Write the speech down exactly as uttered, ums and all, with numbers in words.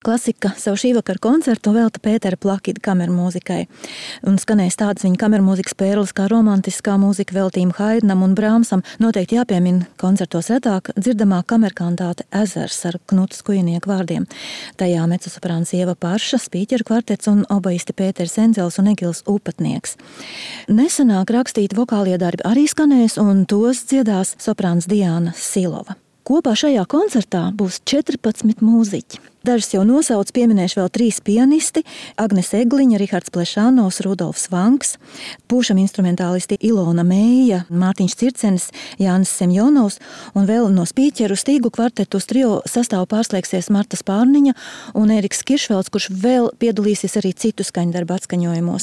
Klasika savu šī vakara koncertu velta Pētera Plakida kamermūzikai. Un skanēs tādas viņa kamermūzikas pērles kā romantiskā mūzika veltījuma Haidnam un Brāmsam. Noteikti jāpiemina koncertos retāk dzirdamā kamerkantāte Ezers ar Knuta Skujnieku vārdiem. Tajā mecosoprāns Ieva Parša, spīķeru kvartets un obaisti Pēters Endzels un Egils Upatnieks. Nesenāk rakstīti vokālie darbi arī skanēs, un tos dziedās soprāns Diāna Silova. Kopā šajā koncertā būs četrpadsmit mūziķi. Dažus jau nosauc, pieminēšu vēl trīs pianisti – Agnes Egliņa, Rihards Plešanovs, Rudolfs Vanks, pūšam instrumentālisti Ilona Mēja, Mārtiņš Circenis, Jānis Semjonovs un vēl no spīķeru stīgu kvartetu uz trio sastāvu pārslēgsies Marta Spārniņa un Eriks Kiršvelds, kurš vēl piedalīsies arī citu skaņdarbu atskaņojumos.